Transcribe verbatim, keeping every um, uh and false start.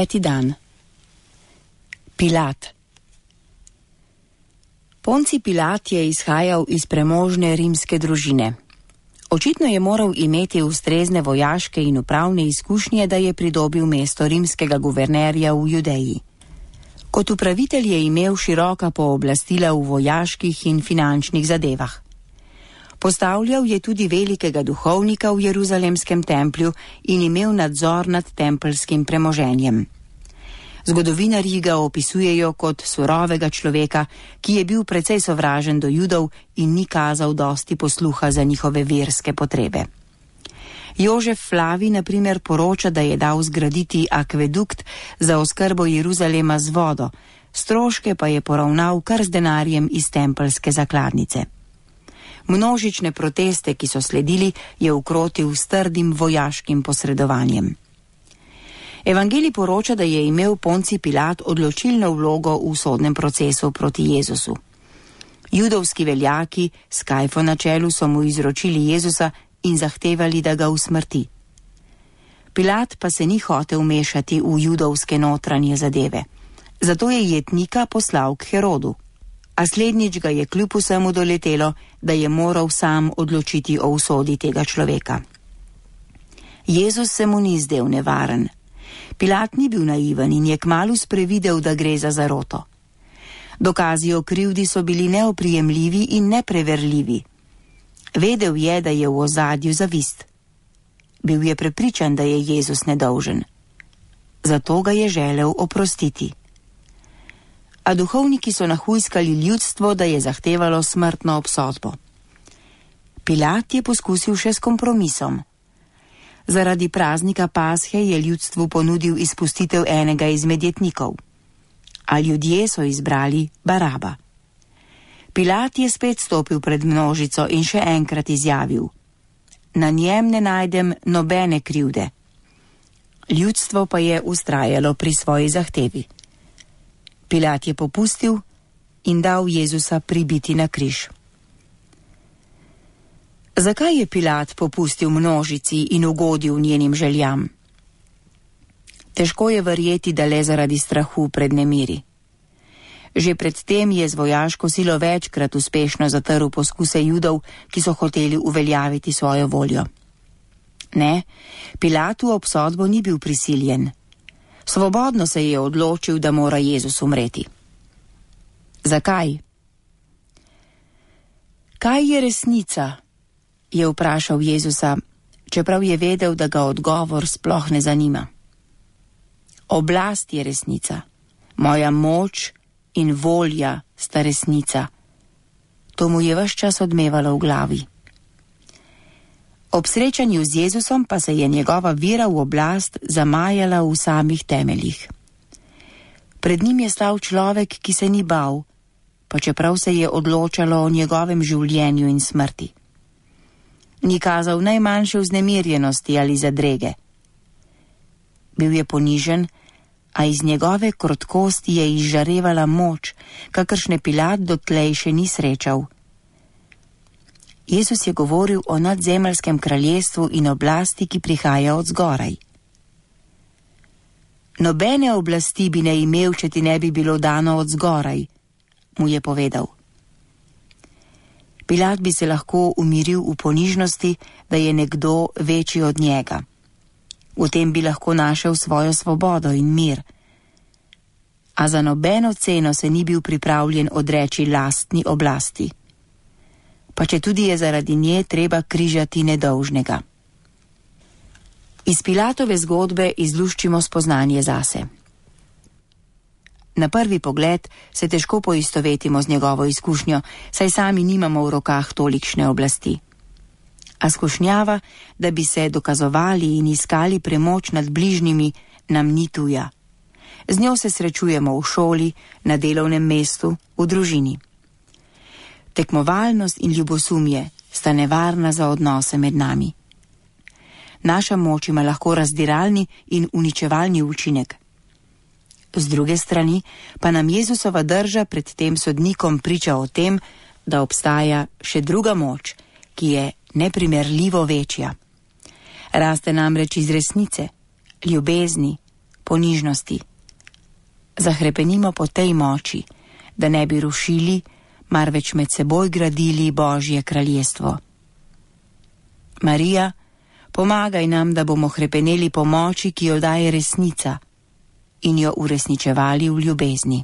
Peti dan. Pilat. Ponci Pilat je izhajal iz premožne rimske družine. Očitno je moral imeti ustrezne vojaške in upravne izkušnje, da je pridobil mesto rimskega guvernerja v Judeji. Kot upravitelj je imel široka pooblastila v vojaških in finančnih zadevah. Postavljal je tudi velikega duhovnika v Jeruzalemskem templju in imel nadzor nad tempeljskim premoženjem. Zgodovinarji ga opisujejo kot surovega človeka, ki je bil precej sovražen do Judov in ni kazal dosti posluha za njihove verske potrebe. Jožef Flavij na primer poroča, da je dal zgraditi akvedukt za oskrbo Jeruzalema z vodo, stroške pa je poravnal kar z denarjem iz tempeljske zakladnice. Množične proteste, ki so sledili, je ukrotil s trdim vojaškim posredovanjem. Evangelij poroča, da je imel Ponci Pilat odločilno vlogo v sodnem procesu proti Jezusu. Judovski veljaki s Kajfo na čelu so mu izročili Jezusa in zahtevali, da ga usmrti. Pilat pa se ni hotel vmešati v judovske notranje zadeve. Zato je jetnika poslal k Herodu. A slednjič ga je kljub vsemu doletelo, da je moral sam odločiti o usodi tega človeka. Jezus se mu ni zdel nevaren. Pilat ni bil naiven in je kmalu sprevidel, da gre za zaroto. Dokazi o krivdi so bili neoprijemljivi in nepreverljivi. Vedel je, da je v ozadju zavist. Bil je prepričan, da je Jezus nedolžen. Zato ga je želel oprostiti. A duhovniki so nahujskali ljudstvo, da je zahtevalo smrtno obsodbo. Pilat je poskusil še s kompromisom. Zaradi praznika Pashe je ljudstvu ponudil izpustitev enega izmed jetnikov. A ljudje so izbrali Baraba. Pilat je spet stopil pred množico in še enkrat izjavil: Na njem ne najdem nobene krivde. Ljudstvo pa je vztrajalo pri svoji zahtevi. Pilat je popustil in dal Jezusa pribiti na križ. Zakaj je Pilat popustil množici in ugodil njenim željam? Težko je verjeti, da le zaradi strahu pred nemiri. Že predtem je z vojaško silo večkrat uspešno zatrl poskuse Judov, ki so hoteli uveljaviti svojo voljo. Ne, Pilatu obsodbo ni bil prisiljen. Svobodno se je odločil, da mora Jezus umreti. Zakaj? Kaj je resnica? Je vprašal Jezusa, čeprav je vedel, da ga odgovor sploh ne zanima. Oblast je resnica. Moja moč in volja sta resnica. To mu je ves čas odmevalo v glavi. Ob srečanju z Jezusom pa se je njegova vera v oblast zamajala v samih temeljih. Pred njim je stal človek, ki se ni bal, pa čeprav se je odločalo o njegovem življenju in smrti. Ni kazal najmanjše vznemirjenosti ali zadrege. Bil je ponižen, a iz njegove krotkosti je izžarevala moč, kakršne Pilat dotlej še ni srečal. Jezus je govoril o nadzemeljskem kraljestvu in oblasti, ki prihaja od zgoraj. Nobene oblasti bi ne imel, če ti ne bi bilo dano od zgoraj, mu je povedal. Pilat bi se lahko umiril v ponižnosti, da je nekdo večji od njega. V tem bi lahko našel svojo svobodo in mir. A za nobeno ceno se ni bil pripravljen odreči lastni oblasti. Pa če tudi je zaradi nje treba križati nedolžnega. Iz Pilatove zgodbe izluščimo spoznanje zase. Na prvi pogled se težko poistovetimo z njegovo izkušnjo, saj sami nimamo v rokah tolikšne oblasti. A skušnjava, da bi se dokazovali in iskali premoč nad bližnjimi, nam ni tuja. Z njo se srečujemo v šoli, na delovnem mestu, v družini. Tekmovalnost in ljubosumje sta nevarna za odnose med nami. Naša moč ima lahko razdiralni in uničevalni učinek. Z druge strani pa nam Jezusova drža pred tem sodnikom priča o tem, da obstaja še druga moč, ki je neprimerljivo večja. Raste namreč iz resnice, ljubezni, ponižnosti. Zahrepenimo po tej moči, da ne bi rušili, marveč med seboj gradili Božje kraljestvo. Marija, pomagaj nam, da bomo hrepeneli po moči, ki jo daje resnica, in jo uresničevali v ljubezni.